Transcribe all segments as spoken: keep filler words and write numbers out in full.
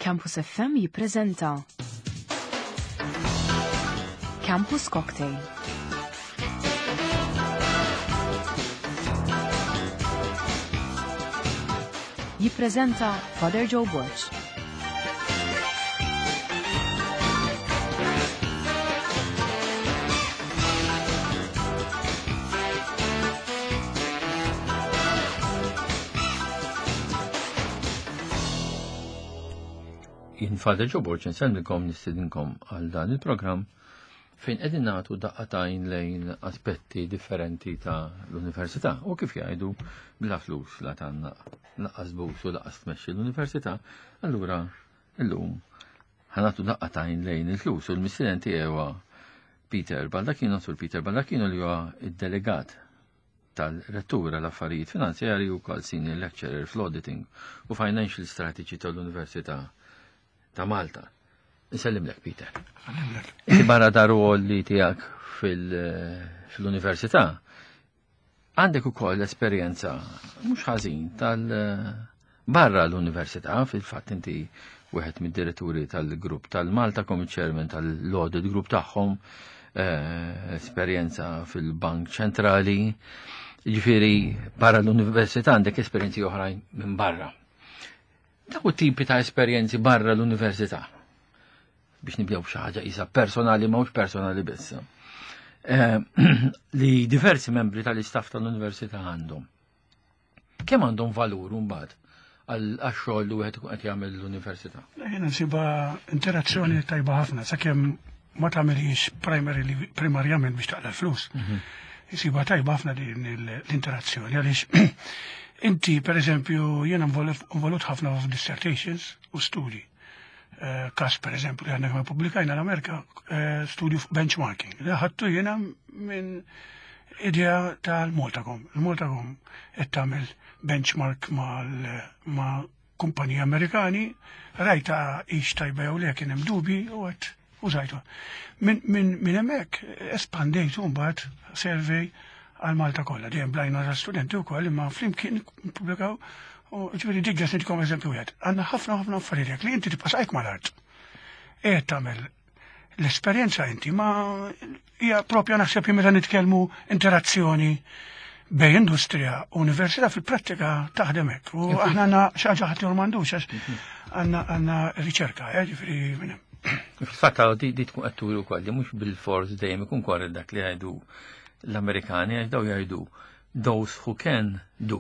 Campus F M jippreżenta Campus Cocktail. Jippreżenta Father Joe Borg. Jien Father Joe Borg, nsellmilkom, nistedinkom għal dan il-programm fejn qegħdin nagħtu daqqa t'għajn lejn aspetti differenti ta' l-università u, kif jgħidu, bla flus la tanna lanqas bus u lanqas tmexxi l-università. Allura illum ħa nagħtu daqqa t'għajn lejn il-flus u l-mistieden tiegħi huwa Peter Baldacchino, sur Peter Baldacchino, li huwa id-delegat tal-rettura l-affarijiet finanzjari u kol senior lecturer fl-auditing u financial strategy tal-Università ta' Malta. Nsellimlek, Peter. Nsellimlek. Inti barra dar-rwol li tiegħek fil-università, għandek ukoll esperjenza mhux ħażin tal barra l-università. Fil-fatt inti wieħed mid-diretturi tal-grupp tal-Maltacom, chairman tal-audit group tagħhom, eh, esperjenza fil-Bank Ċentrali, ġifieri barra l-università għandek esperjenzi oħrajn minn barra. Daw tipi ta' esperjenzi barra l-università. Biex nibdew xi ħaġa isa personali, ma mhux personali biss. Eh, li diversi membri tal-istaff tal-università għandhom. Kemm għandhom valur mbagħad għal xogħol li wieħed ikun qed jagħmel l-università? Jiena nsibha interazzjoni tajba ħafna sakemm ma tagħmilhiex primarjament biex taqla' l-flus. Nsibha tajba ħafna din l-interazzjoni għaliex inti, per eżempju, jiena involut ħafna f'dissertations u studi. Eh, kas, per eżempju, li għandna kemm publikajna l-Amerika, eh, studju fuq benchmarking. Li ħadtu jiena minn idea tal-Maltacom. Il-Maltacom qed tagħmel benchmark ma' kumpaniji Amerikani, rajta ix tajba jew le, kien hemm dubi u għet użajtu. Min, min, min hemmhekk espandejtu mbagħad survey għal Malta kollha, dejjem bl-għajnuna ta' studenti wkoll, imma flimkien pubblikaw u ġifieri dik ġas nitkom eżempju wieħed. Għandna ħafna ħafna affarijiet li inti tibqa' saqajk mal-art. Qiegħed tagħmel l-esperjenza inti, ma hija propja naħseb meta nitkellmu interazzjoni bej industrija u università, fil-prattika taħdem hekk. U aħna għandna xi ħaġa ħadd m'għandux għax għandna għandna riċerka, eh, ġifieri minn hemm. Fil-fatt di di tkun qed turi wkoll li mhux bil-fors dejjem ikun korrett dak li jgħidu l-Amerikani, għax daw jgħidu "those who can do,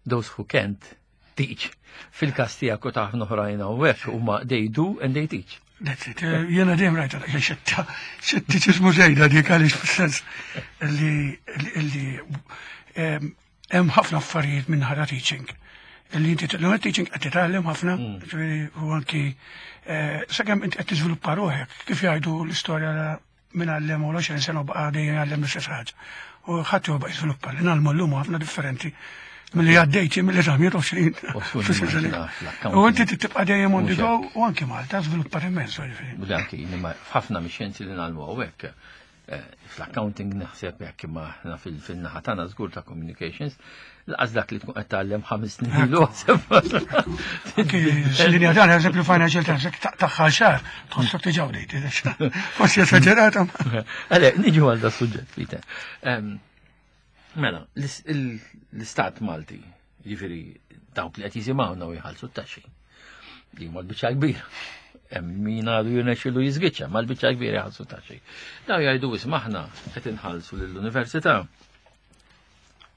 those who can't teach". Fil-każ tiegħek u ta' ħafna oħrajn hawnhekk huma they do and they teach. That's it. Eh, Jena dejjem rajta dak xetta xettiċiżmu żejda dik, għaliex fis-sens li li em, hemm ħafna affarijiet minn ħara teaching. Illi inti l teaching qed titgħallem ħafna, ġifieri u anki eh, sakemm inti qed tiżviluppa ruħek, kif jgħidu l-istorja minn għallem u l-għoxrin sena u baqa' dejjem jgħallem l-istess ħaġa. U ħadd huwa baqa' jiżviluppa, li ngħallmu llum ħafna differenti milli għaddejti mill-eżamijiet għoxrin. U skur nimmaġina fl-accounting. U inti tibqa' dejjem on the Mhux go hekk. U anki Malta żviluppat immens, ġifieri. U anki imma f'ħafna mix-xjenzi li ngħallmu hawnhekk, eh, fl-accounting naħseb hekk, imma aħna fil-naħa tagħna żgur ta' communications, lanqas dak li tkun qed tgħallem ħames snin ilu naħseb. Anki s-linja tagħna, eżempju, Financial Times, taħħal xahar, tħossok diġà outdated. Forsi esaġerata. Għale, niġu għal da suġġett, Peter. Em, Mela, l-is- il- l-istat Malti, ġifieri dawk li qed jisimgħuna u jħallsu t-taxxi, li huma l-biċċa kbira. Hemm min għadu jirnexxilu jiżgiċċa, ma l-biċċa kbira jħallsu t-taxxi. Daw jgħidu, isma', aħna qed inħallsu lill-università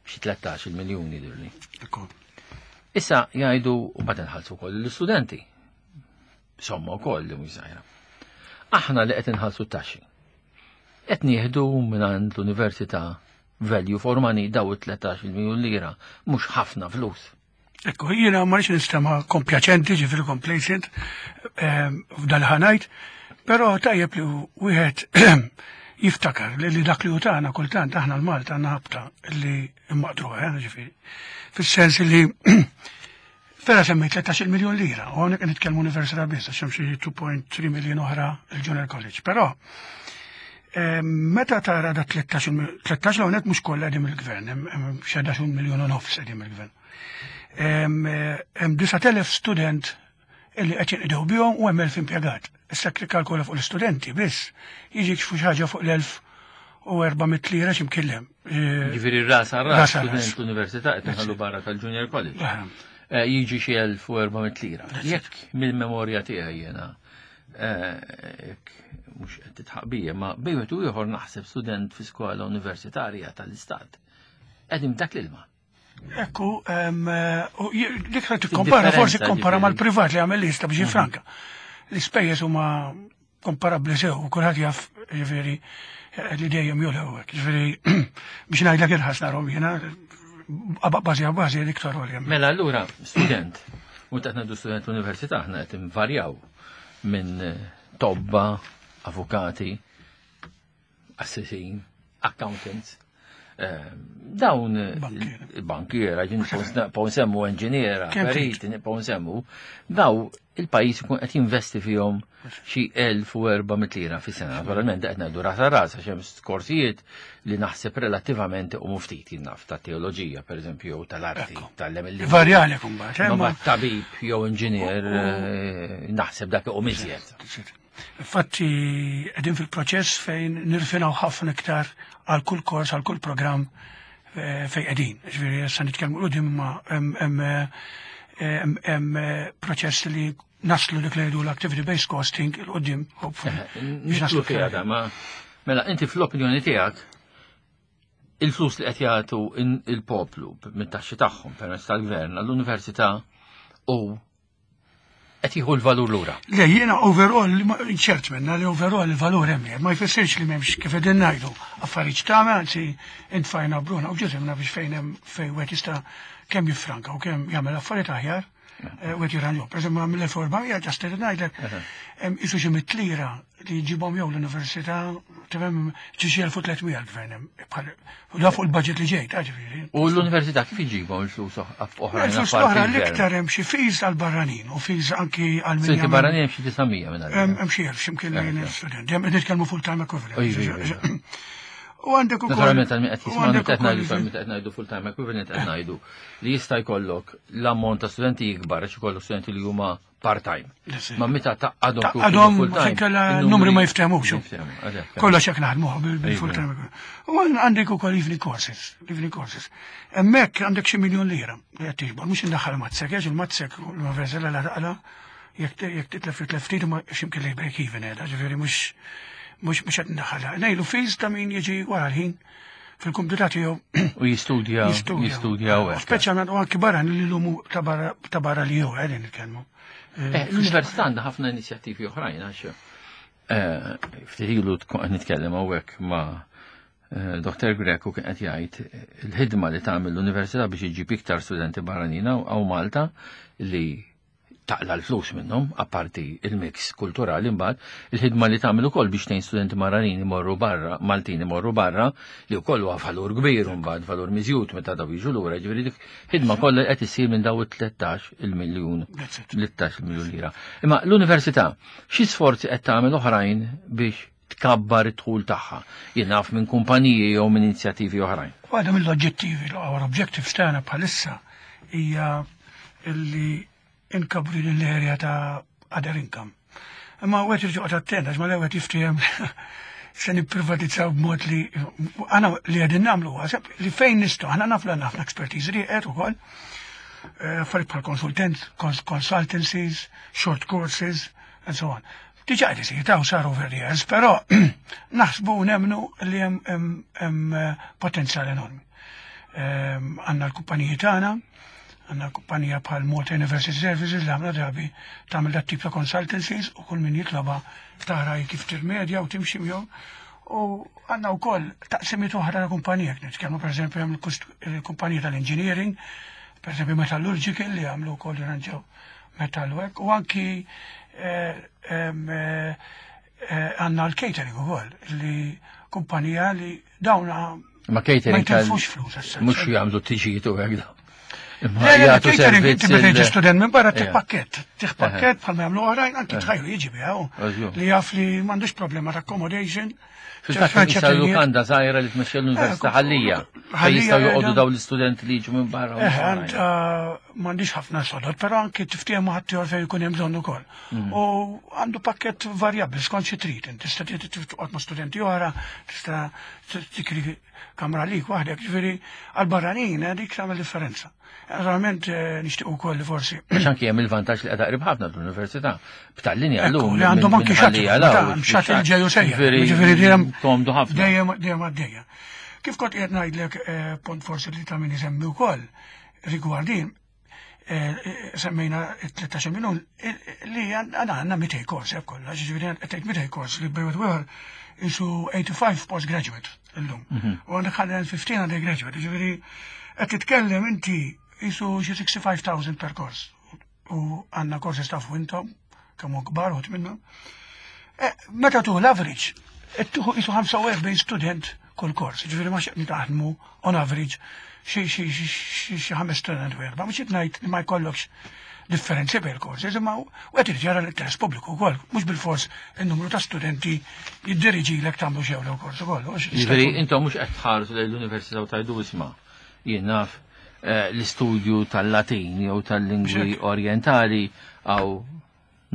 xi tlettax-il miljuni dirli. Issa jgħidu u mbagħad inħallsu wkoll l-istudenti. Somma wkoll li mhux żgħira. Aħna li qed inħallsu t-taxxi qed nieħdu mingħand l-università value for money daw it-tlettax-il miljun lira, mhux ħafna flus? Ekku, jiena ma rridx nistema kompjaċenti, ġifieri complacent, ehm, f'dal ħanajt, però tajjeb li wieħed jiftakar li li dak li utana kultant aħna l-Malta għandna ħabta li immaqdru, eh, ġifieri. Fis-sens li Fera semmejt tlettax-il miljon lira, u hawnhekk nitkellmu università biss, għax hemm xi tnejn punt tlieta miljun oħra il-Junior College. Però eh, meta tara da tlettax tlettax l mhux kollha qegħdin mill-gvern, hemm xi ħdax-il miljun u nofs qegħdin mill-gvern. Hemm eh, hemm disa' elef student Illi qed jinqdew bihom u hemm elf impjegat. Issa kalkola fuq l-istudenti biss, jiġik xi ħaġa fuq l-elf u erba' mitt lira x'imkien hemm. Ġifieri ras għal ras student l-università qed inħallu barra tal-junior college. Jiġi xi elf u erba' mitt lira. Jekk mill-memorja tiegħi jiena jekk mhux qed titħaq bija, ma bejn wieħed u ieħor naħseb student fi skola universitarja tal-istat. Qegħdin dak l-ilma. Ekku, dik qed tikkompara, forsi kompara mal-privat li għamel lista biex franka. L-ispejjeż huma komparabbli sew, u kulħadd jaf ġifieri li dejjem jogħlew hekk. Ġifieri biex ngħidlek irħas narhom jiena bażi għal bażi iktar għolja. Mela allura student, u qed ngħidu student l-università aħna qed invarjaw minn tobba, avukati, assisin, accountants, dawn bankiera, nibqgħu nsemmu enġiniera, periti, nibqgħu nsemmu, daw il-pajjiż ikun qed jinvesti fihom xi elf u erba' mitt lira fis-sena. Naturalment qed ngħidu rasa rasa x'hemm korsijiet li naħseb relattivament u ftit jien naf ta' teoloġija, pereżempju, jew tal-arti, tal-lem Varjali kumbat. Ma tabib jew inġinier naħseb dak u miżjed. Infatti qegħdin fil-proċess fejn nirfinaw ħafna iktar għal kull kors, għal kull programm fejn qegħdin. Ġifieri issa nitkellmu quddiem ma hemm proċess li naslu dik li jgħidu l-activity based costing 'il quddiem, hopefully. Biex naslu fiha ma mela inti fl-opinjoni tiegħek il-flus li qed jagħtu il-poplu mit-taxxi tagħhom permezz tal-gvern għall-università u qed jieħu l-valur lura. Le, jiena overall, ċert minna li overall il-valur hemm, ma jfissirx li m'hemmx kif qegħdin ngħidu affarijiet tagħmel, anzi intfajna bruna u ġisimna biex fejn hemm fejn wieħed jista' kemm jiffranka u kemm jagħmel affarijiet aħjar, wieħed jirranġu. Per eżempju, mill-elf u erba' mija ġast qed ngħidlek hemm isu xi mitt lira li jġibhom jew l-università, tifhem, ġi xi elf u tliet mija l-gvern hemm, u da fuq il-budget li ġejt, ġifieri. U l-università kif iġibhom il-flus oħra? Il-flus oħra l-iktar hemm xi fees għal barranin u fees anki għal min. Studenti barranin hemm xi disa' mija minn għal. Hemm xi elf x'imkien lejn student. Hemm qed nitkellmu full time equivalent. U għandek ukoll. Naturalment għal min qed jisma' qed ngħidu qed ngħidu full time equivalent qed ngħidu li jista' jkollok l-ammont ta' studenti jikbar għax ikollok studenti li huma part-time. Ma meta taqgħadhom taqgħadhom kella numri ma jiftehmux. Kollox hekk naħdmuh bil-full time. U għandek ukoll evening courses, evening courses. Hemmhekk għandek xi miljun lira li qed tiġbor, mhux indaħħal Matsec, għax il-Matsec l-università la taqla jekk titlef titlef ftit ma x'imkien li break even qiegħda, ġifieri mhux mhux mhux qed ndaħħalha. Ngħidu fees ta' min jiġi wara l-ħin fil-kumdità tiegħu. U jistudja, jistudja u hekk. Speċjalment u anki barra li l-lumu ta' barra li jew qegħdin nitkellmu. L-università għandha ħafna inizjattivi oħrajn għax ftit ilu qed nitkellem hawnhekk ma' Doktor Grech u kien qed jgħid il-ħidma li tagħmel l-università biex iġib iktar studenti barranin hawn Malta li taqla l-flus minnhom, apparti il-mix kulturali mbagħad, il-ħidma li tagħmel ukoll biex tgħin studenti barranin imorru barra, Maltin imorru barra, li wkoll huwa valur kbir mbagħad valur miżjud meta daw jiġu lura, ġifieri dik ħidma kollha qed issir minn daw it-tlettax il-miljun, tlettax il-miljun lira. Imma l-università xi sforzi qed tagħmel oħrajn biex tkabbar id-dħul tagħha, jien naf minn kumpaniji jew minn inizjattivi oħrajn. Waħda mill-oġġettivi, our objectives tagħna bħalissa hija illi inkabri l-area ta' other income. Imma u għet irġu attent, għax ma l-ewwel jiftiem se nipprivatizzaw b'mod li għana li għedin nagħmlu għasab li fejn nistgħu, aħna naf li ħafna expertise li qed ukoll, affarijiet bħal consultant, consultancies, short courses, and so on. Diġà qed isir taw sar over the years, però naħsbu u nemnu li hemm potenzjal enormi. Għandna l-kumpaniji tagħna, għandna kumpanija bħal Malta University Services li għamla drabi tagħmel dat tip ta' consultancies u kull min jitloba tara kif tirmedja u timxi miegħu. U għandna wkoll taqsimiet oħra ta' kumpanija, nitkellmu pereżempju hemm il-kumpanija tal-engineering, pereżempju metallurgical li għamlu wkoll jirranġaw metal u hekk, u anki għandna l-catering ukoll li kumpanija li dawna ma catering ma jitilfux flus issa. Mhux jagħmlu tiġijiet u hekk dawn. Le, le, catering inti meta jiġi student minn barra tih pakkett, tih pakkett bħalma jagħmlu oħrajn, anki tħajru jiġi biha li jaf li m'għandux problema ta' accommodation. Fil-fatt issa lukanda żgħira li tmexxi l-Università Ħal Lija. Fejn jistgħu joqogħdu dawn l-istudenti li jiġu minn barra. Eh, M'għandix ħafna sodod, però anki tiftiehem ma' ħaddieħor fejn jkun hemm bżonn ukoll. U għandu pakket varjabbli skont xi trid. Inti tista' toqgħod ma' studenti oħra, tista' tikri kamra lik waħdek, ġifieri għal-barranin eh, dik tagħmel differenza. Naturalment eh, nixtieq ukoll li forsi Għax anki hemm il-vantaġġ li qed qrib ħafna l-università. B'tal-linja Ekku, llum. li għandhom anki shuttle, ta' shuttle ġeju sejjer. Ġifieri dejjem komdu ħafna. Dejjem dejjem għaddejja. Kif kont qiegħed ngħidlek eh, punt forsi li ta' min isemmi wkoll rigward din, eh, eh, semmejna tlettax miljun eh, li għandna għandna mitejn kors eh, kollha, ġifieri qed tgħid mitejn kors li bejn wieħed isu eighty-five postgraduate illum. U għandek one hundred fifteen undergraduate, ġifieri qed titkellem inti isu xi sixty-five thousand per kors. U għandna courses tafu intom, kemm hu kbar uħud minnhom. Eh, Meta tuħu l-average, qed tuħu isu ħamsa u erbgħin student kull kors, ġifieri ma xeqni taħdmu on average xi xi xi xi xi ħames student u erba', mhux qed ngħid li ma jkollokx differenzi bejn il-courses, imma u qed irid jara l-interess pubbliku wkoll, mhux bil-fors il-numru ta' studenti jiddiriġilek tagħmlu xew l kors ukoll. Mhux jista' Ġifieri jkun- intom mhux qed tħarsu lejn l-università u tajdu isma' jien naf eh, l-istudju tal-Latin jew tal-lingwi Mhux orientali għaw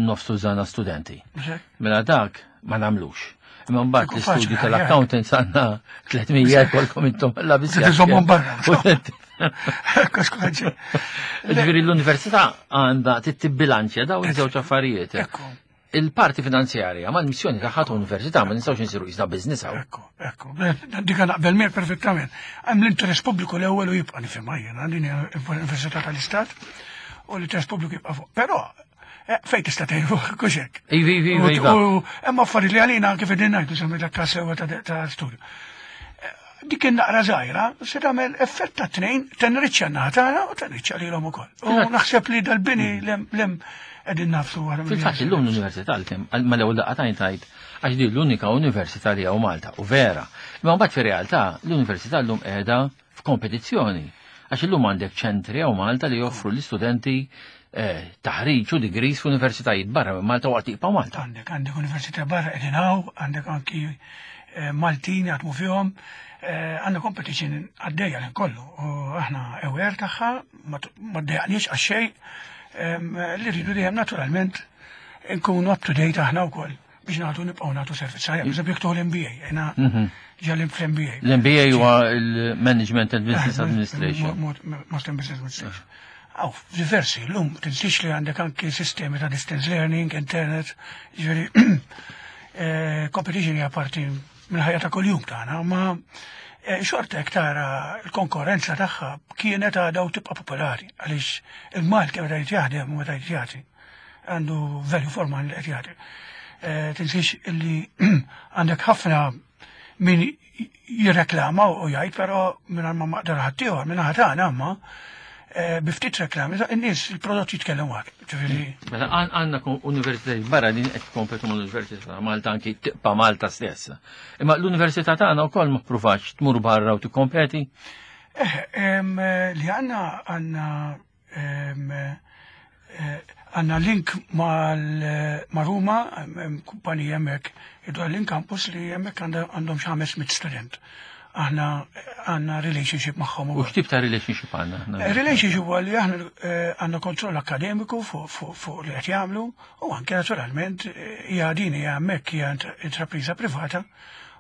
nofs tużana studenti. Mhux hekk? Mela dak ma nagħmlux. Imma mbagħad Ikun l-istudju faċli, tal-accountants għandna tliet mija jkollkom intom la biss. Tiżommhom barra. Ekku, skużi. Ġifieri l-università għandha titbilanċja dawn iż-żewġ affarijiet. Ekku. Il-parti finanzjarja ma l-missjoni tagħha ta' università, ma nistgħux insiru qisna business hawn. Ekku, ekku. Dika naqbel miegħek perfettament. Hemm l-interess pubbliku l-ewwel u jibqa' nifhimha jiena, din hija l-Università tal-Istat u l-interess pubbliku jibqa' fuq. Però eh, fejn tista' tgħidu kux hekk. Ivi, ivi, ivi, iva. U hemm affarijiet li għalina kif qegħdin ngħidu semmi dak każ sewwa ta' ta' studju. Eh, Dik in-naqra żgħira se tagħmel effett ta' tnejn, tenriċċja n-naħa tagħna u tenriċċja lilhom ukoll. U naħseb li dal-bini lem lem qegħdin nafsu wara. Fil-fatt illum l-università għalkemm mal-ewwel daqqa tajn tajt għax din l-unika università li hawn Malta u vera. Imma mbagħad fir-realtà l-università llum qiegħda f'kompetizzjoni. Għax illum għandek ċentri hawn Malta li joffru l-istudenti eh, taħriġ u degrees f'universitajiet barra minn Malta waqt jibqgħu Malta. Għandek, għandek università barra qegħdin hawn, għandek anki eh, Maltin jaħdmu fihom, eh, għandna competition għaddejja l kollu u aħna aware tagħha, ma t- ma ddejjaqniex għax xejn, em, li rridu dejjem naturalment nkunu up to date aħna wkoll biex nagħtu nibqgħu nagħtu servizz. Ħajja, per jekk l-M B A, jiena ġalim fl-M B A. L-M B A huwa il-Management and Business Administration. Master in Business Administration. Aw, diversi, l-lum, tinsiex li għandek anki sistemi ta' distance learning, internet, ġifieri, eh, competition hija parti mill-ħajja ta' kuljum tagħna, ma eh, xorta jekk tara l-konkurrenza tagħha kienet għadha u tibqa' popolari, għaliex il-Malti meta jrid jaħdem u meta jrid jagħti għandu value for money li qed jagħti. Eh, Tinsiex illi għandek ħafna min jirreklama u jgħid, però minn ma maqdar ħaddieħor, minn ħatana imma eh, bi ftit reklami, in-nies il-prodott jitkellem għad. Ġifieri, Mela għan- għandna kon- universitajiet barra li qed kompetu mal-Università ta' Malta, anki tibqa' Malta stess. Imma l-Università tagħna wkoll ma ppruvax tmur barra u tikkompeti. eh, em, eh, li għandna għandna em, eh, għandna link mal ma' Ruma, em, em, kumpanija hemmhekk, idu link campus li hemmhekk għandha- għandhom xi ħames mitt student. Aħna għandna relationship magħhom U ukoll. x'tip ta' relationship għandna aħna? Eh, Relationship huwa li aħna eh, għandna kontroll akademiku fuq fuq fuq li qed jagħmlu u anke naturalment eh, hija din hija hemmhekk hija int- intrapriża privata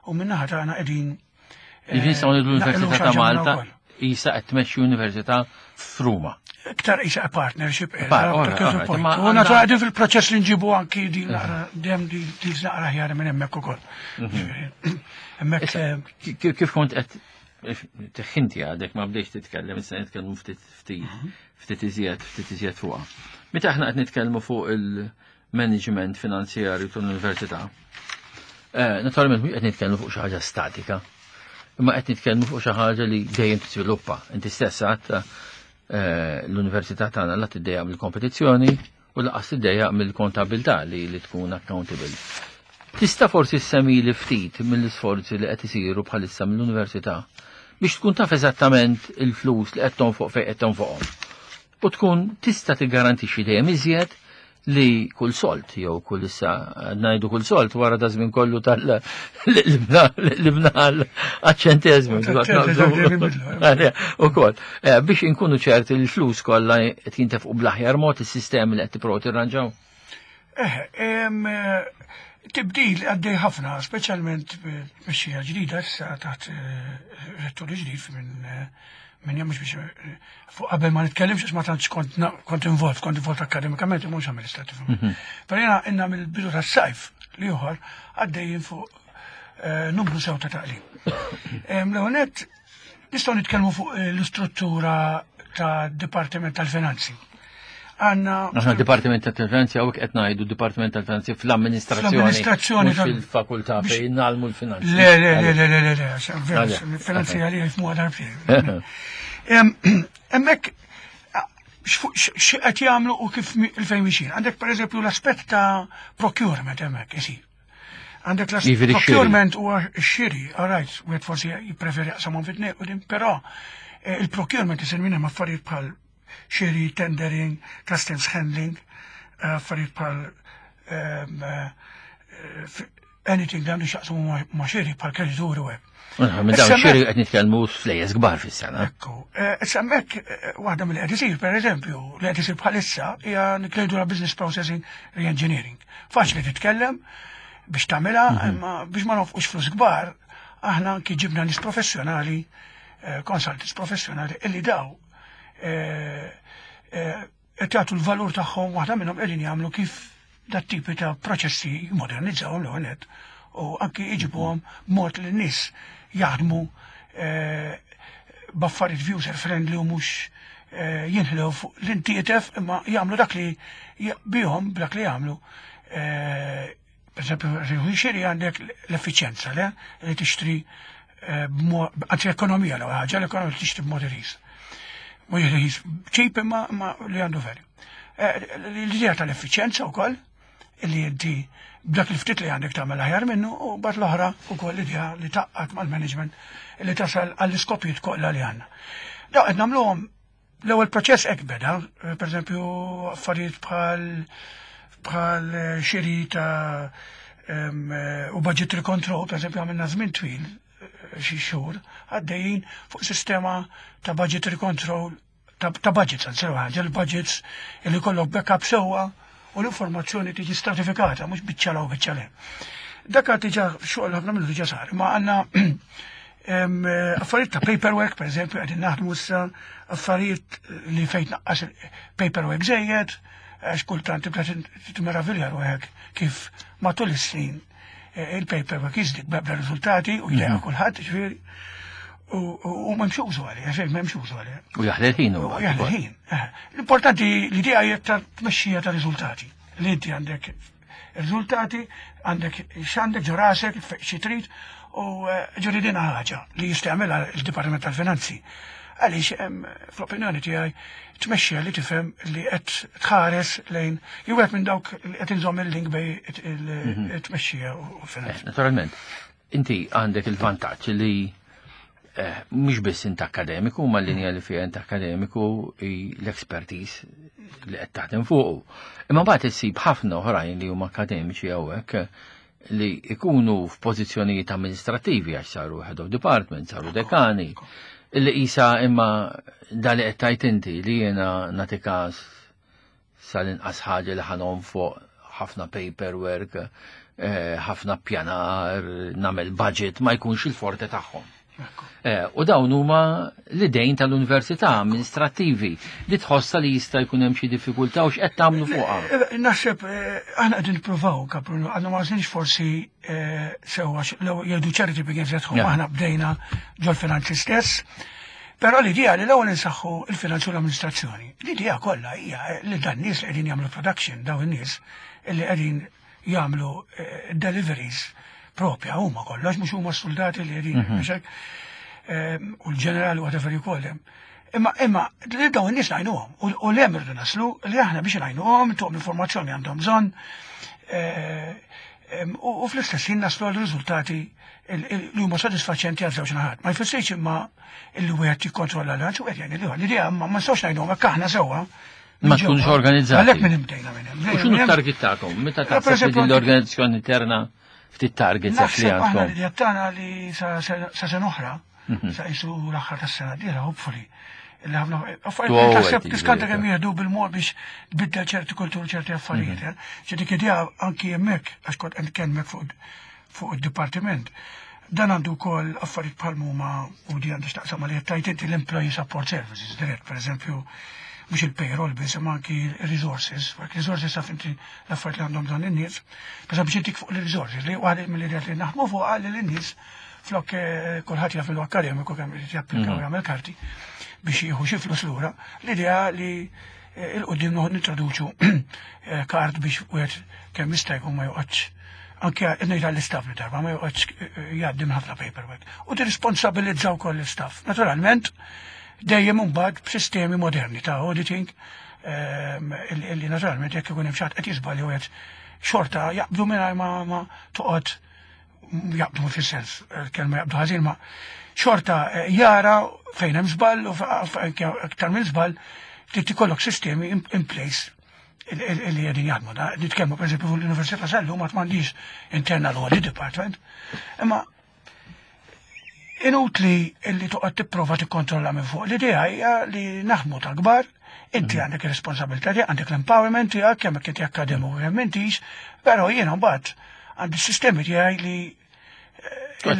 u min-naħa tagħna qegħdin eh, Jiġifieri nistgħu ngħidu l-Università naqilgħu ta' xi ħaġa minnha Malta wkoll. qisha qed tmexxi università f'Ruma. Iktar qisha partnership eh, Par- to ora, the ora, point. imma U għandna- naturalment qegħdin fil-proċess li nġibu anki din naqra dejjem di di naqra ħjar minn hemmhekk ukoll. Ġifieri, hemmhekk eh, Ki- Kif kont qed teħinti għadek ma bdejx titkellem, issa nitkellmu ftit ftit ftit iżjed ftit iżjed fuqha. Meta aħna qed nitkellmu fuq il-management finanzjarju tal-università, eh, naturalment mhux qed nitkellmu fuq xi ħaġa statika, imma qed nitkellmu fuq xi ħaġa li dejjem tiżviluppa. Inti stess għadt eh, l-università tagħna la tiddejjaq mill-kompetizzjoni u lanqas tiddejjaq mill-kontabilità li li tkun accountable. Tista' forsi semmi li ftit mill-isforzi li qed isiru bħalissa mill-università biex tkun taf eżattament il-flus li qed tonfoq fejn qed tonfoqhom. U tkun tista' tiggarantixxi dejjem iżjed li kull solt, jew kull issa ngħidu kull solt wara da żmien kollu tal li bna għaċ-ċentesmu. Ukoll, biex inkunu ċerti li l-flus kollha qed jintefqu bl-aħjar mod is-sistemi li qed tipprovaw tirranġaw. Eh, tibdil għaddej ħafna, speċjalment mexxija ġdida issa taħt rettur ġdid minn minn jemx biex fuq qabel ma nitkellimx għax ma tantx kont kont involved, kont involved akademikament u mhux amministrativ. Però jiena inna mill-bidu tas-sajf li ieħor għaddejjin fuq numru sew ta' taqlim. L-ewwel nett nistgħu nitkellmu fuq l-istruttura ta' Dipartiment tal-Finanzi. Għanna. Aħna Dipartiment tal-Finanzi hawnhekk qed ngħidu Dipartiment tal-Finanzi fl-amministrazzjoni. Fl-amministrazzjoni fil-fakultà fejn nagħmlu l-finanzi. Le, le, le, le, le, le, le, finanzi għalija jifhmu darbtejn. Hemmhekk x'qed jagħmlu u kif il-fejn mixin. Għandek pereżempju l-aspett ta' procurement hemmhekk isir. Għandek l procurement huwa x-xiri, all right, wieħed forsi jippreferi jaqsamhom fit-tnejn, però il-procurement isir minn hemm affarijiet bħal xiri, tendering, customs handling, affarijiet bħal anything li għandu x'jaqsmu ma' xiri bħal kredituri u hekk. Minn dawn xiri qed nitkellmu flejjes kbar fis-sena. Ekku. Issa hemmhekk waħda mill qed isir, pereżempju, li qed isir bħalissa hija ngħidu la business processing re-engineering. Faċli titkellem biex tagħmilha, imma biex ma nofqux flus kbar, aħna anki ġibna nies professjonali, consultants professjonali, illi daw qed jagħtu l-valur tagħhom, waħda minnhom qegħdin jagħmlu kif dat tipi ta' proċessi modernizzawhom l nett u anki iġibuhom b'mod li n-nies jaħdmu b'affarijiet user friendly u mhux jinħlew fuq l-intietef, imma jagħmlu dak li bihom b'dak li jagħmlu. Per esempio, xiri għandek l-effiċjenza, le? Li tixtri, anzi ekonomija l ħaġa, l-ekonomija li tixtri b'mod irħis. Mhux irħis cheap, imma li għandu value. L-idea tal-effiċjenza wkoll, li inti b'dak il-ftit li għandek tagħmel aħjar minnu, u bat l-oħra ukoll l-idea li taqqat mal-management li tasal għall-iskopijiet kollha li għandna. Daw qed nagħmluhom, l-ewwel proċess hekk beda, pereżempju affarijiet bħal bħal xiri ta' u budgetary control, pereżempju għamilna żmien twil, xi xhur, għaddejjin fuq sistema ta' budgetary control, ta', ta budgets, għal sewa ħaġa, l-budgets li kollok backup sewwa u l-informazzjoni tiġi stratifikata, mhux biċċa u biċċa le. Dak diġà xogħol ħafna minnu diġà sar, ma għandna affarijiet ta' paperwork, per eżempju, qegħdin naħdmu issa affarijiet li fejn naqqas paperwork żejjed, għax kultant tibda timeravilja ruħek kif matul is-snin il-paperwork jiżdied b'ebda riżultati u jdejqa kulħadd, ġifieri. U m'hemmx użu għalih, għax m'hemmx użu għalih. U jaħli l-ħin. U jaħli l-ħin. L-importanti l-idea hija ta' tmexxija ta' riżultati. Li inti għandek riżultati, għandek x'għandek ġo rasek, xi trid, u ġuri din ħaġa li jista' jagħmilha il-Dipartiment tal-Finanzi. Għaliex fl-opinjoni tiegħi tmexxija li tifhem li qed tħares lejn jew qed minn dawk li qed inżomm il-link bej it-tmexxija u finanzi. Naturalment, inti għandek il-vantaġġ li mhux biss int akademiku, ma l-linja li fiha int akademiku l-expertise li qed taħdem fuqu. Imma mbagħad issib ħafna oħrajn li huma akademiċi hawnhekk li ikunu f'pożizzjonijiet amministrativi għax saru head of department, saru dekani, illi isa imma dali qed tajt inti li jiena nagħti każ sal-inqas ħaġa li ħanom fuq ħafna paperwork, ħafna pjanar, nagħmel budget, ma jkunx il-forte tagħhom. U dawn huma l-idejn tal-università amministrattivi li tħossa li jista' jkun hemm xi diffikultà u x'qed tagħmlu fuqha. Naħseb aħna qegħdin nippruvaw kapru, għandna ma waslniex forsi sewwa jgħidu charity begins at home, aħna bdejna ġol-finanzi stess. Però l-idea li l-ewwel insaħħu il-finanzi u l-amministrazzjoni. L-idea kollha hija li dan nies li qegħdin jagħmlu production, dawn in-nies li qegħdin jagħmlu deliveries propja huma kollox, mhux huma soldati li qegħdin biex u l-ġenerali whatever you call them. Imma imma li dawn in-nies ngħinuhom u l hemm irridu naslu li aħna biex ngħinuhom tuhom l-informazzjoni għandhom bżonn u fl-istess ħin naslu għal riżultati li huma sodisfaċenti għal żewġ naħat. Ma jfissirx imma illi wieħed jikkontrolla l-għanċ u qed jgħid li l-idea ma ma nistgħux ngħiduhom hekk aħna sewwa Ma tkunx organizzati. Għalhekk minn bdejna minn hemm. U x'inhu t-target tagħkom? Meta taħseb li l-organizzazzjoni interna ftit targets li Naħseb aħna għandkom? l-idea tagħna li sa sa sena oħra, sa jisu l-aħħar tas-sena d-dieħla, hopefully. Illi ħafna affarijiet Tuwa taħseb għed, tiskanta jiġifieri. kemm jieħdu bil-mod biex tbiddel ċerti kulturi, ċerti affarijiet. eh. Ġi dik idea anki hemmhekk, għax kont qed nitkellmek fuq fuq id-dipartiment. Dan għandu wkoll affarijiet bħal huma, u di għandha x'taqsam li qed tajt inti, l-employee support services dirett, pereżempju, mhux il-payroll biss, imma anki il-resources. Resources taf inti l-affarijiet li għandhom bżonn in-nies. Per biex intik fuq il-resources li waħda mill-ideat li naħdmu fuq għalli lin-nies flok eh, kulħadd jaf il-akkademiku kemm irid japplika u jagħmel karti biex jieħu xi flus lura. L-idea li eh, il-qudiem noħod nintroduċu eh, kard biex wieħed kemm jista' jkun ma joqgħodx, anke ngħid għall-istaff li darba ma joqgħodx eh, jgħaddi minn ħafna paperwork. U tirresponsabilizzaw koll l-istaff. Naturalment, dejjem imbagħad b'sistemi moderni ta' auditing ehm, illi illi naturalment jekk ikun hemm xi ħadd qed jiżbalja, wieħed xorta jaqbdu mingħajr ma ma toqgħod jaqbdu, fis-sens kelma jaqbdu ħażin, ma xorta eh, jara fejn hemm żball u fa- fa- anke aktar minn żball trid ikollok sistemi in in place il- il- illi qegħdin jaħdmu. Da nitkellmu pereżempju fuq l-Università sal-lum ma m'għandix internal audit department. Imma inutli illi toqgħod tipprova tikkontrolla minn fuq. L-idea hija li naħdmu ta' kbar, inti għandek ir-responsabilità tiegħek, għandek l-empowerment tiegħek, kemm jekk inti akademiku kemm m'intix, però jiena mbagħad għandi sistemi tiegħi li Tkun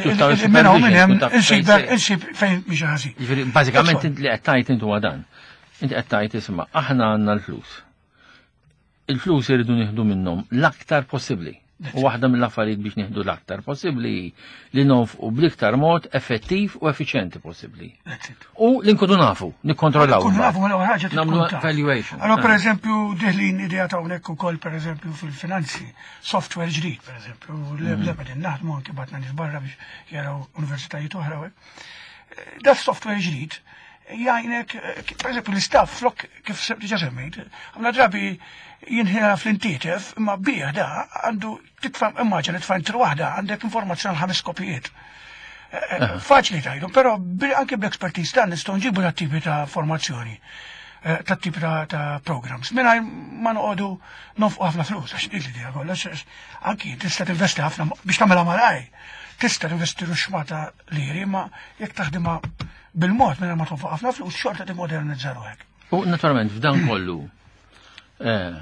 minn hawn minn hemm tkun taf insib fejn sejjer. insib fejn mhix ħażin. Jiġifieri, bażikament That's all. inti li qed tgħid intu huwa dan. Inti qed tgħid, isma', aħna għandna l-flus. Il-flus irridu nieħdu minnhom l-aktar possibbli. U waħda mill-affarijiet biex nieħdu l-aktar possibbli li nonfqu bl-iktar mod effettiv u effiċjenti possibbli. That's it. U li nkunu nafu, nikkontrollaw. Kun nafu l-ewwel ħaġa trid Nagħmlu tkun taf. evaluation. Allora, per Ah. eżempju, deħlin idea ta' hawnhekk ukoll, per eżempju, fil-finanzi, software ġdid, per eżempju, li mm. qegħdin naħdmu, anke batna nies barra biex jaraw universitajiet oħra u hekk. Da software ġdid jgħinek, eh, per eżempju, l-istaff flok kif se- diġà semmejt, għamna drabi jinħela fl-intietef, imma bih da għandu titfa', immaġina titfa' intru waħda, għandek informazzjoni għal ħames kopijiet. Eh, eh, Faċli tajdu, però bil- anke bl-expertise dan nistgħu nġibu dat tipi ta' formazzjoni, eh, ta' tipi ta', ta' programs. Mingħajr ma noqogħdu nonfqu ħafna flus, għax dik l-idea kollha, għax anki tista' tinvesti ħafna biex tagħmilha malaj. Tista' tinvesti ruxmata liri, ma jekk taħdimha bil-mod mingħajr ma tonfoq ħafna flus, xorta timmodernizza ruħek. U naturalment f'dan kollu, eh,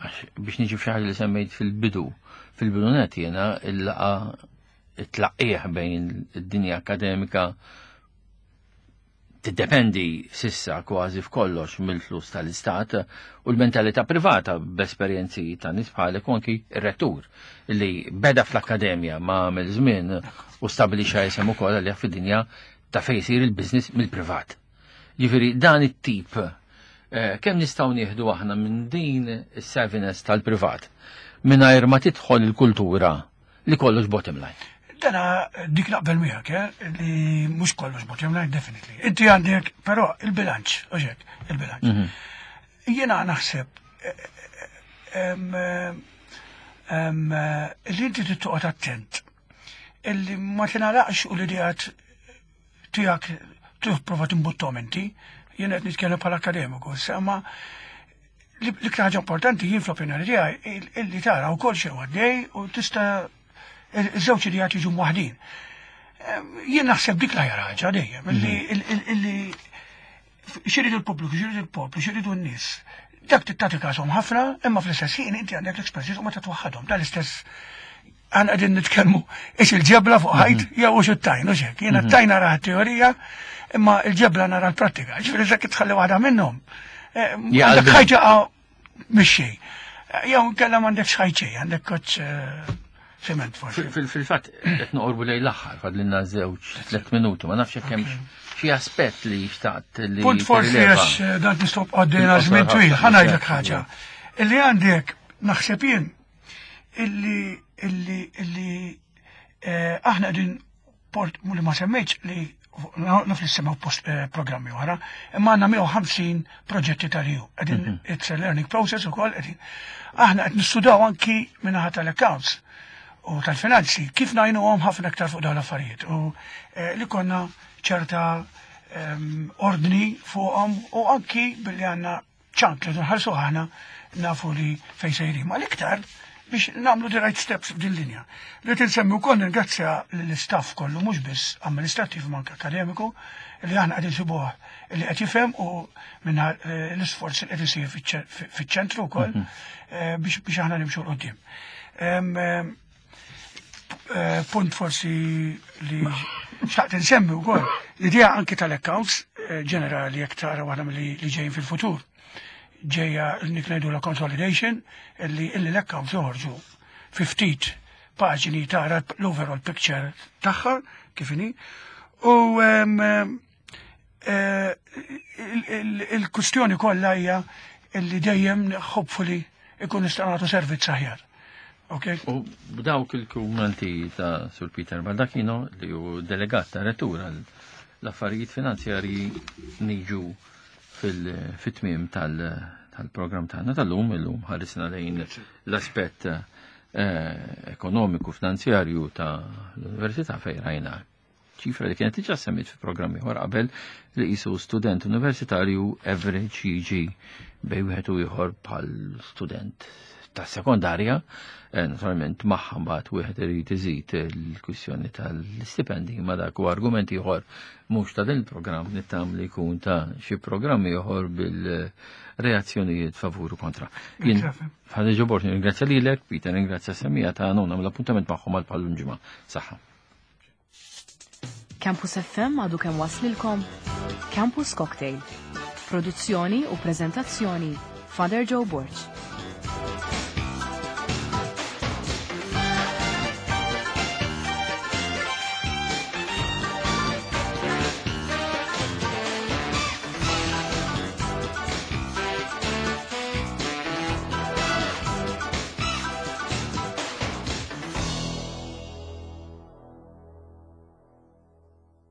għax biex niġi f'xi ħaġa li semmejt fil-bidu, fil-bidu net jiena il-laqa it-tlaqqieħ bejn id-dinja akademika tiddependi sissa kważi f'kollox mill-flus tal-istat u l-mentalità privata b'esperjenzi ta' nies bħalek u anki r-rettur li beda fl-akkademja ma mill-żmien u stabilixxa isem ukoll għalih fid-dinja ta' fejn jsir il-business mill-privat. Jiġifieri dan it-tip eh, kemm nistgħu nieħdu aħna minn din is-savviness tal-privat mingħajr ma tidħol il-kultura li kollox bottom line? Dana dik naqbel miegħek, eh, li mhux kollox bottom line, definitely. Inti għandek però il-bilanċ, oġek, il-bilanċ. Jiena naħseb eh, em, em, eh, li inti trid toqgħod attent illi ma tingħalaqx u l-ideat tiegħek tipprova timbuttom inti. Jiena qed nitkellem bħala akademiku, issa, imma l-iktar ħaġa importanti jien fl-opinjoni tiegħi illi tara wkoll xi għaddej u tista' iż-żewġ ideat jiġu waħdin. Jien naħseb dik l-aħjar ħaġa dejjem, illi illi x'irid il-pubbliku, x'irid il-poplu, x'iridu n-nies. Dak tagħti kashom ħafna, imma fl-istess ħin inti għandek l-expertise u ma titwaħħadhom. Dan l-istess għan qegħdin nitkellmu ix il-ġebla fuq ħajt jew hux it-tajn, u xek. Jiena t-tajn nara teorija, imma il-ġebla nara l-prattika. Ġifieri dak tħalli waħda minnhom. Eh, Għandek ħajġa mix xejn. Jew nkella m'għandekx ħajċej, għandek koċ sement forsi. Fil-fatt qed noqorbu lejn l-aħħar, fadlilna żewġ tliet minuti, ma nafx hekk hemmx xi aspett li xtaqt li Punt forsi tirrileva. għax eh, dan nistgħu għaddejna żmien twil, ħa ngħidlek ħaġa. Illi għandek naħseb jien illi illi illi eh, aħna qegħdin port li ma semmejtx li naf li semmew post eh, programmi oħra, imma għandna mija u ħamsin proġetti tal-E U. Qegħdin, it's a learning process ukoll qegħdin. Aħna qed nistudaw anki min-naħa tal-accounts u tal-finanzi kif ngħinuhom ħafna aktar fuq dawn l-affarijiet u eh, li konna ċerta ehm, ordni fuqhom u anki billi għandna Chunk li nħallsu aħna nafu li fejn sejrin. Ma l-iktar biex nagħmlu the right steps f'din linja. Li tinsemmi wkoll ningrazzja l-istaff kollu, mhux biss amministrattiv ma anke akademiku, li aħna qed insibuh li qed jifhem u minna eh, l-isforz li qed isir fiċ-ċentru wkoll eh, biex biex aħna nimxu 'l quddiem. Em, em, eh, Punt forsi li xtaqt insemmi wkoll, l-idea anki tal-accounts eh, ġenerali, jekk tara waħda milli li ġejjin fil-futur, ġejja nik ngħidu la consolidation, illi illi l-accounts joħorġu fi ftit paġni, tara l-overall picture tagħha kif inhi. U em, em, eh, il- il- il-kustjoni kollha hija illi dejjem hopefully ikun nistgħu nagħtu servizz aħjar. Okay? U b'dawk il-kummenti ta' Sur Peter Baldacchino, li hu delegat ta' rettur l-affarijiet finanzjarji, niġu fil-tmiem tal-program tagħna tal-lum. Illum ħarisna lejn l-aspett eh, ekonomiku finanzjarju ta' l-Università, fejn rajna ċifra li kienet diġà semmit fi programmi ieħor qabel, li qisu student universitarju average jiġi bejn wieħed u ieħor bħal student ta' sekondarja, eh, naturalment magħha mbagħad wieħed irid iżid il-kwistjoni tal-istipendi, ma dak huwa argument ieħor mhux ta' din il-programm, nittama li jkun ta' xi programmi ieħor bil-reazzjonijiet favur u kontra. Jien Father Joe Borg ringrazzja lilek, Peter, ringrazzja semmiegħa tagħna u nagħmel appuntament magħhom għal bħal ġimgħa. Saħħa. Campus F M għadu kemm waslilkom Campus Cocktail. Produzzjoni u prezentazzjoni, Father Joe Borg.